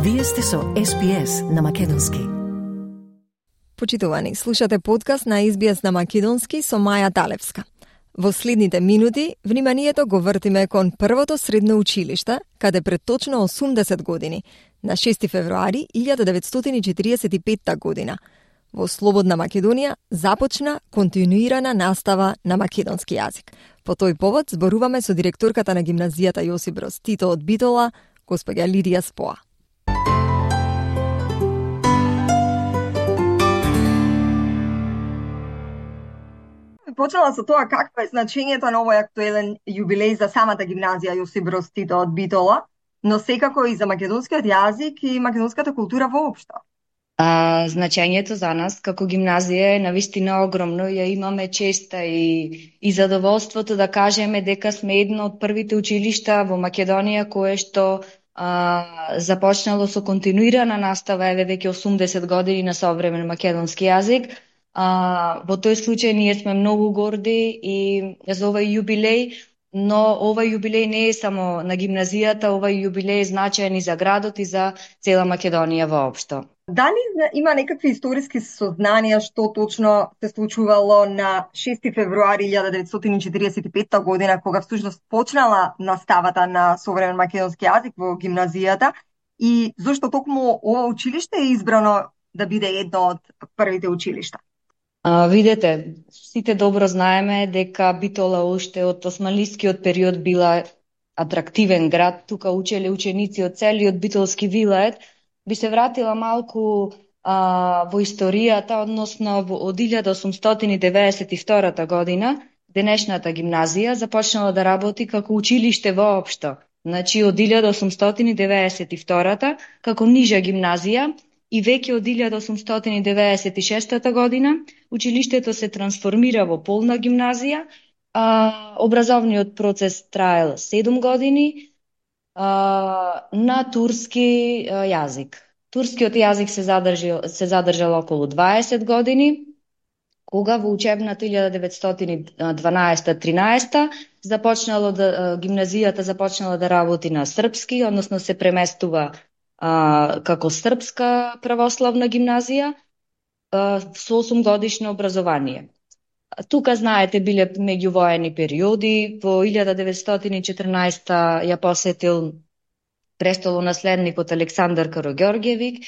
Вие сте со SBS на Македонски. Почитувани, слушате подкаст на SBS на Македонски со Маја Талевска. Во следните минути, вниманието го вртиме кон првото средно училиште, каде пред точно 80 години, на 6 февруари 1945 година, во Слободна Македонија започна континуирана настава на македонски јазик. По тој повод зборуваме со директорката на гимназијата Јосип Броз Тито од Битола, госпоѓа Лидија Споа. Почела со тоа какво е значењето на овој актуелен јубилеј за самата гимназија Јосип Броз Тито од Битола, но секако и за македонскиот јазик и македонската култура воопшто. Значењето за нас како гимназија е навистина огромно. Ја имаме честа и задоволството да кажеме дека сме едно од првите училишта во Македонија кое што започнало со континуирана настава еве веќе 80 години на современ македонски јазик. Во тој случај ние сме многу горди и за овој јубилеј, но овој јубилеј не е само на гимназијата, овој јубилеј е значаен и за градот и за цела Македонија воопшто. Дали има некакви историски сознанија што точно се случувало на 6 февруари 1945 година, кога всушност почнала наставата на современ македонски јазик во гимназијата и зошто токму ова училиште е избрано да биде едно од првите училишта? Видете, сите добро знаеме дека Битола уште од османлискиот период била атрактивен град. Тука учеле ученици од целиот битолски вилает. Би се вратила малку во историјата, односно од 1892 година, денешната гимназија започнала да работи како училиште воопшто. Значи, од 1892 како нижа гимназија и веќе од 1896 година училиштето се трансформира во полна гимназија. Образовниот процес траел 7 години на турски јазик. Турскиот јазик се задржал околу 20 години, кога во учебната 1912-13 гимназијата започнала да работи на српски, односно се преместува како српска православна гимназија со 8 годишно образование. Тука, знаете, биле меѓувоени периоди. Во 1914 ја посетил престолонаследникот Александар Караѓорѓевиќ,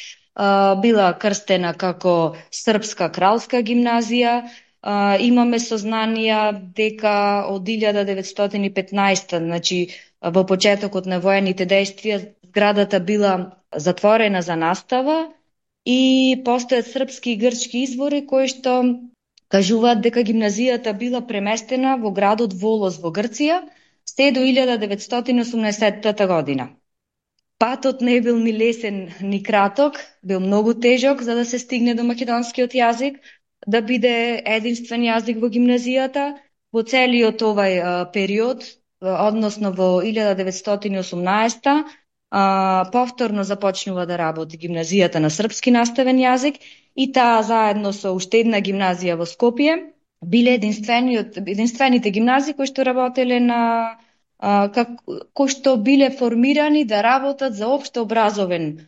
била крстена како српска кралска гимназија. Имаме сознанија дека од 1915, значи во почетокот на воените дејствија, зградата била затворена за настава и постојат српски и грчки извори кои што кажуваат дека гимназијата била преместена во градот Волос во Грција се до 1918 година. Патот не бил ни лесен ни краток, бил многу тежок за да се стигне до македонскиот јазик, да биде единствен јазик во гимназијата. Во целиот овај период, односно во 1918 повторно започнува да работи гимназијата на српски наставен јазик и таа заедно со уште една гимназија во Скопје биле единствените гимназии кои што работеле кои што биле формирани да работат за општо образовен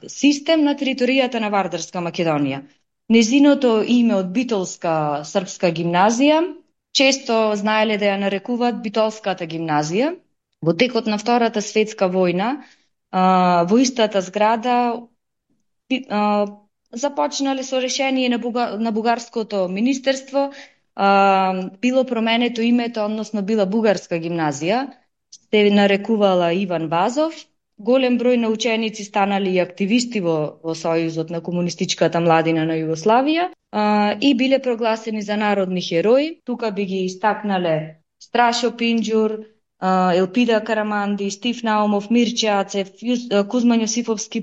систем на територијата на Вардарска Македонија. Незиното име од Битолска српска гимназија често знаеле да ја нарекуваат Битолската гимназија. Во текот на Втората светска војна, во истата зграда започнале со решение на бугарското министерство, било променето името, односно била бугарска гимназија, се нарекувала Иван Вазов. Голем број на ученици станали и активисти во Сојузот на комунистичката младина на Југославија и биле прогласени за народни херои. Тука би ги истакнале Страшо Пинџур, Елпида Караманди, Стив Наумов, Мирче Ацев, Кузман Јосифовски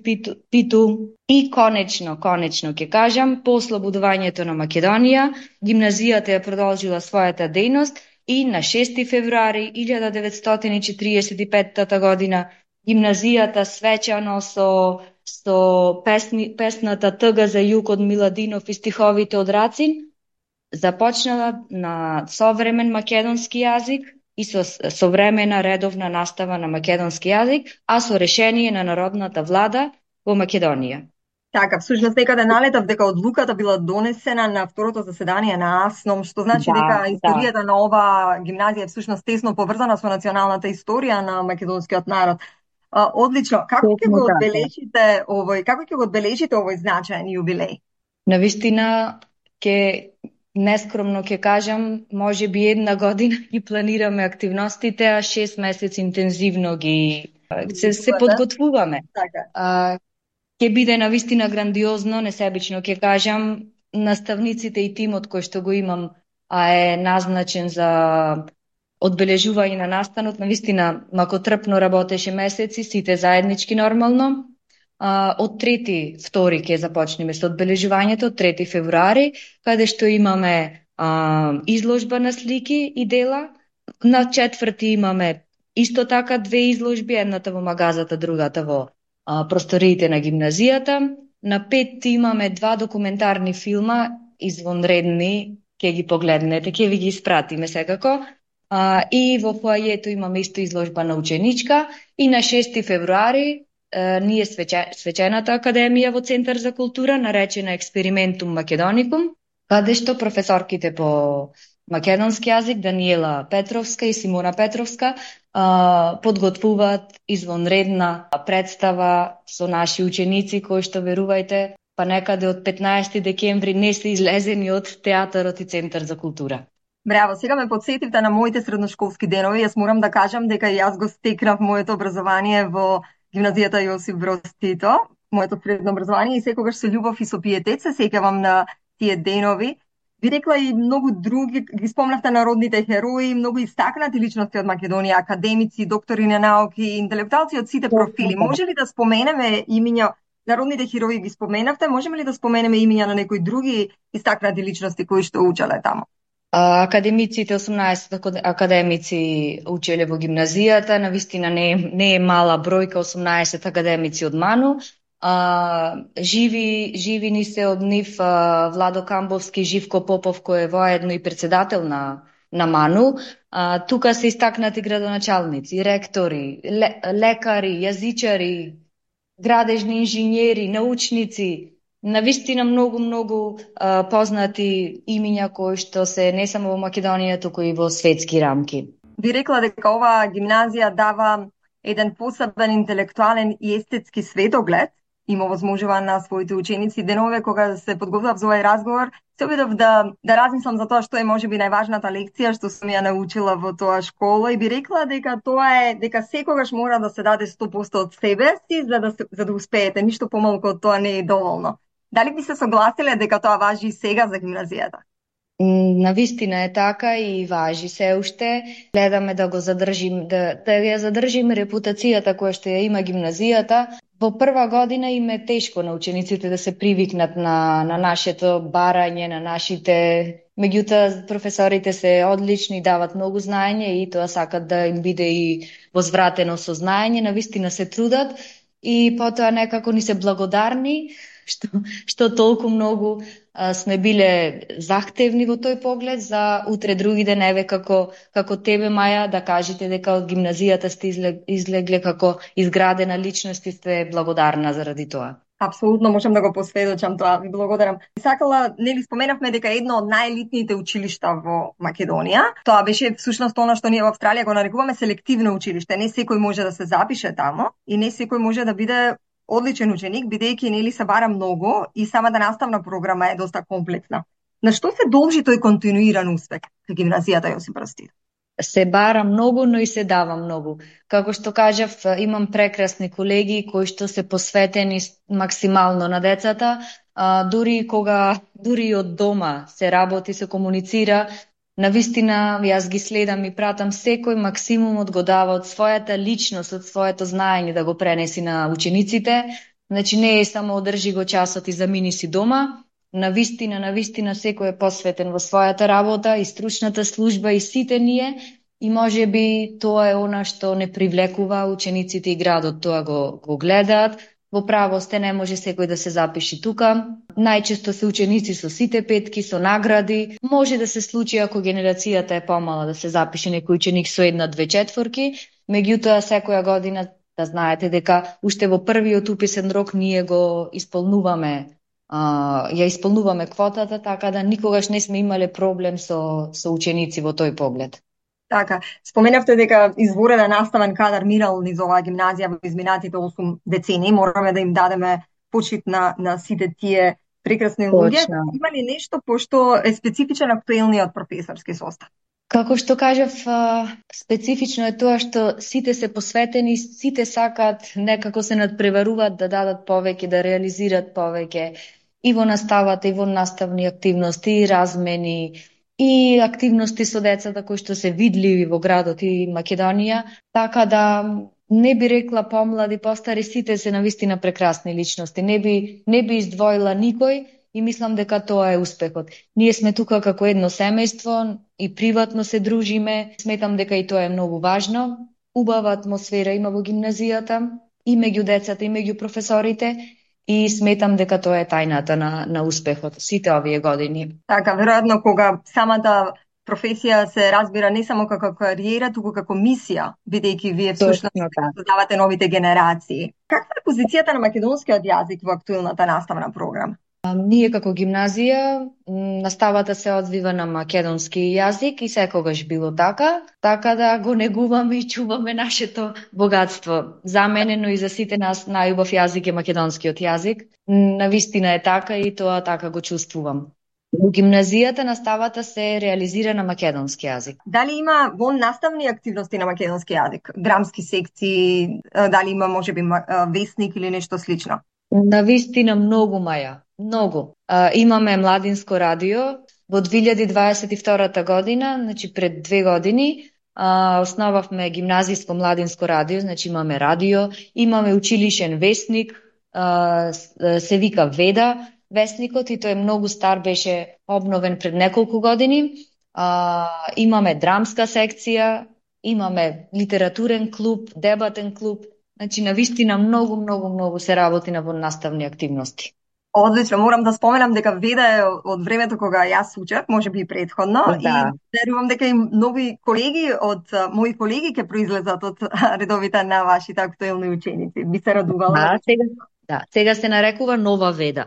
Питу и конечно ќе кажам, по ослободувањето на Македонија, гимназијата ја продолжила својата дејност и на 6 февруари 1945 година гимназијата свечано со песната Тъга за југ од Миладинов и стиховите од Рацин започнала на современ македонски јазик и со современа редовна настава на македонски јазик, а со решение на Народната влада во Македонија. Така, всушност некаде налетав дека одлуката била донесена на второто заседание на АСНОМ, што значи дека историјата на оваа гимназија е всушност тесно поврзана со националната историја на македонскиот народ. Одлично. Како ќе го одбележите овој значаен јубилеј? Навистина нескромно ќе кажам, може би една година ги планираме активностите, а 6 месеци интензивно се подготвуваме. Така. Ќе биде навистина грандиозно, несебично ќе кажам, наставниците и тимот кој што го имам, е назначен за одбележување на настанот, навистина макотрпно работеше месеци, сите заеднички нормално. Од 3-2 ќе започнеме со одбележувањето, 3 февруари, каде што имаме изложба на слики и дела. На 4 имаме исто така 2 изложби, едната во магазата, другата во просториите на гимназијата. На 5 имаме 2 документарни филма, извонредни, ќе ги погледнете, ќе ви ги испратиме секако. И во фоајето имаме исто изложба на ученичка. И на 6 февруари ние свечената академија во Центар за култура, наречена Експериментум Македоникум, каде што професорките по македонски јазик, Даниела Петровска и Симона Петровска, подготвуваат извонредна представа со наши ученици, кои што, верувајте, па некаде од 15 декември не се излезени од театарот и Центар за култура. Браво, сега ме подсетивте на моите средношколски денови. Јас морам да кажам дека јас го стекнав моето образование во гимназијата Јосип Броз Тито, моето средно образование, и секогаш со љубов и со пиетет се сеќавам на тие денови. Би рекла и многу други, ги спомнавте народните херои, многу истакнати личности од Македонија, академици, доктори на науки, интелектуалци од сите профили. Може ли да споменеме имиња, народните херои ги споменавте, можеме ли да споменеме имиња на некои други истакнати личности кои што учеле таму? Академиците, 18 академици учеле во гимназијата, навистина не е мала бројка, 18 академици од МАНУ. Живи ни се од нив Владо Камбовски, Живко Попов, кој е воедно и председател на МАНУ. Тука се истакнати градоначалници, ректори, лекари, јазичари, градежни инженери, научници. Навистина многу познати имиња кои што се не само во Македонија, туку и во светски рамки. Би рекла дека оваа гимназија дава еден посебен интелектуален и естетски светоглед, има возможува на своите ученици. Денове кога се подготвував за овој разговор, се обидов да размислам за тоа што е можеби најважната лекција што сум ја научила во тоа школа, и би рекла дека тоа е дека секогаш мора да се даде 100% од себе си за да успеете, ништо помалку од тоа не е доволно. Дали би се согласиле дека тоа важи и сега за гимназијата? Навистина е така и важи се уште. Гледаме да го задржим, да ја задржиме репутацијата која што ја има гимназијата. Во прва година им е тешко на учениците да се привикнат на нашето барање, на нашите... Меѓутоа, професорите се одлични, дават многу знаење и тоа сакат да им биде и возвратено со знаење. Навистина се трудат и потоа некако ни се благодарни што толку многу сме биле захтевни во тој поглед за утре други деневе како тебе, Маја, да кажете дека од гимназијата сте излегле како изградена личност и сте благодарна заради тоа. Апсолутно можам да го посведочам тоа, ви благодарам. Сакала, нели споменавме дека едно од најелитните училишта во Македонија, тоа беше всушност она што ние во Австралија го нарекуваме селективно училиште. Не секој може да се запише тамо и не секој може да биде одличен ученик, бидејќи нели се бара многу и самата наставна програма е доста комплексна. На што се должи тој континуиран успех кај гимназијата Јосип Броз Тито? Се бара многу, но и се дава многу. Како што кажав, имам прекрасни колеги кои што се посветени максимално на децата, дури од дома се работи, се комуницира. Навистина, јас ги следам и пратам секој максимумот го дава од својата личност, од своето знаење да го пренеси на учениците. Значи не е само одржи го часот и замини си дома. Навистина секој е посветен во својата работа и стручната служба и сите ние, и можеби тоа е она што не привлекува учениците и градот, тоа го гледаат. Во право сте, не може секој да се запиши тука. Најчесто се ученици со сите петки, со награди. Може да се случи ако генерацијата е помала да се запише некој ученик со 1-2 четворки. Меѓутоа, секоја година да знаете дека уште во првиот уписен рок ние го исполнуваме, ја исполнуваме квотата, така да никогаш не сме имале проблем со ученици во тој поглед. Така, споменавте дека изворена наставен кадар мирал низ оваа гимназија во изминатите 8 децении. Мораме да им дадеме почит на сите тие прекрасни луѓе. Има ли нешто пошто е специфичен актуелниот професорски состав? Како што кажав, специфично е тоа што сите се посветени, сите сакаат, некако се надпреваруваат да дадат повеќе, да реализираат повеќе и во наставата, и во наставни активности, и размени, и активности со децата кои што се видливи во градот и Македонија, така да не би рекла помлади, постари, сите се навистина прекрасни личности. Не би издвоила никој и мислам дека тоа е успехот. Ние сме тука како едно семејство и приватно се дружиме. Сметам дека и тоа е многу важно. Убава атмосфера има во гимназијата и меѓу децата и меѓу професорите. И сметам дека тоа е тајната на успехот сите овие години. Така, веројатно кога самата професија се разбира не само како кариера, туку како мисија, бидејќи вие всушност создавате новите генерации. Каква е позицијата на македонскиот јазик во актуелната наставна програма? Ние како гимназија, наставата се одвива на македонски јазик и секогаш било така да го негуваме и чуваме нашето богатство. За мене, но и за сите нас најубав јазик е македонскиот јазик. Навистина е така и тоа така го чувствувам. Во гимназијата наставата се реализира на македонски јазик. Дали има вон наставни активности на македонски јазик? Драмски секции, дали има можеби весник или нешто слично? Навистина многу, Маја. Многу. Имаме младинско радио. Во 2022 година, значи пред 2 години, основавме гимназиско младинско радио, значи имаме радио, имаме училишен весник, се вика Веда весникот и тој е многу стар, беше обновен пред неколку години. Имаме драмска секција, имаме литературен клуб, дебатен клуб, значи навистина многу се работи на наставни активности. Одлично, морам да споменам дека Веда е од времето кога јас учев, можеби и предходно, и верувам дека и нови колеги од мои колеги ќе произлезат од редовите на вашите актуелни ученици. Би се радувала. Сега се нарекува Нова Веда.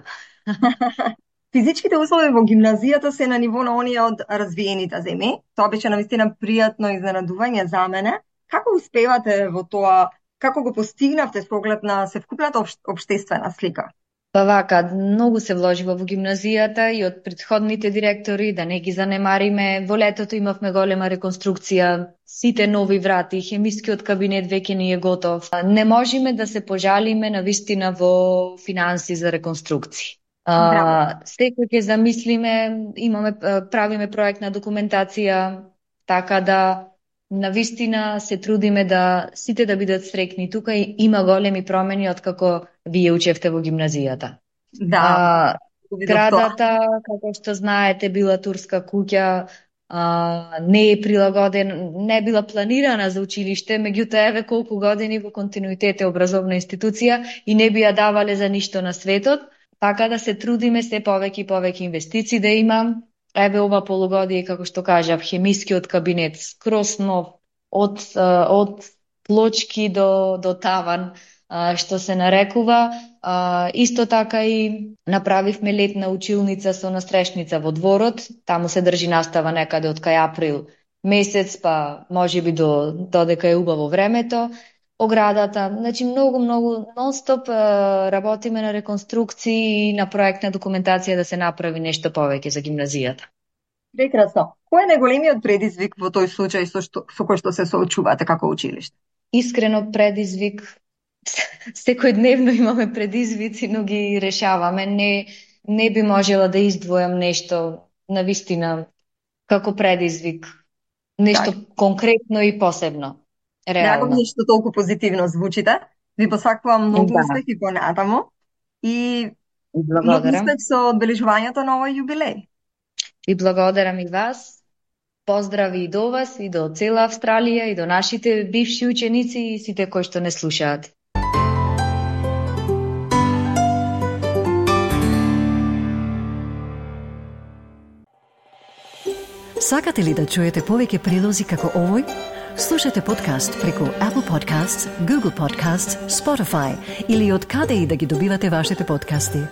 Физичките услови во гимназијата се на ниво на оние од развиените земји. Тоа беше навистина пријатно изненадување за мене. Како успевате во тоа? Како го постигнавте со оглед на севкупната општествена слика? Па вака, многу се вложива во гимназијата и од претходните директори, да не ги занемариме. Во летото имавме голема реконструкција, сите нови врати, хемискиот кабинет веќе ни е готов. Не можеме да се пожалиме навистина во финанси за реконструкција. Секој ќе замислиме, правиме проектна документација, така да навистина се трудиме да сите да бидат среќни. Тука има големи промени од како вие учевте во гимназијата. Градата, како што знаете, била турска куќа, не е прилагоден, не била планирана за училиште, меѓутоа еве колку години во континуитет е образовна институција и не би ја давале за ништо на светот, така да се трудиме се повеќе и повеќе инвестиции да имам. Еве ова полугодие, како што кажав, хемискиот кабинет скроз нов, од плочки до таван, што се нарекува. Исто така и направивме летна училница со настрешница во дворот. Таму се држи настава некаде од кај април месец, па можеби додека е убаво времето. Оградата, значи многу нон-стоп работиме на реконструкции и на проектна документација да се направи нешто повеќе за гимназијата. Прекрасно. Кој е најголемиот предизвик во тој случај со кој што се соочувате како училиште? Искрено предизвик, секојдневно имаме предизвици, но ги решаваме. Не би можела да издвојам нешто навистина како предизвик, нешто конкретно и посебно. Драго ми што толку позитивно звучите. Ви посакувам многу успех и понатаму. И многу успех со одбележувањето на овој јубилеј. И благодарам и вас. Поздрави и до вас, и до цела Австралија, и до нашите бивши ученици и сите кои што не слушаат. Сакате ли да чуете повеќе прилози како овој? Слушате подкаст преку Apple Podcasts, Google Podcasts, Spotify или од каде и да ги добивате вашите подкасти.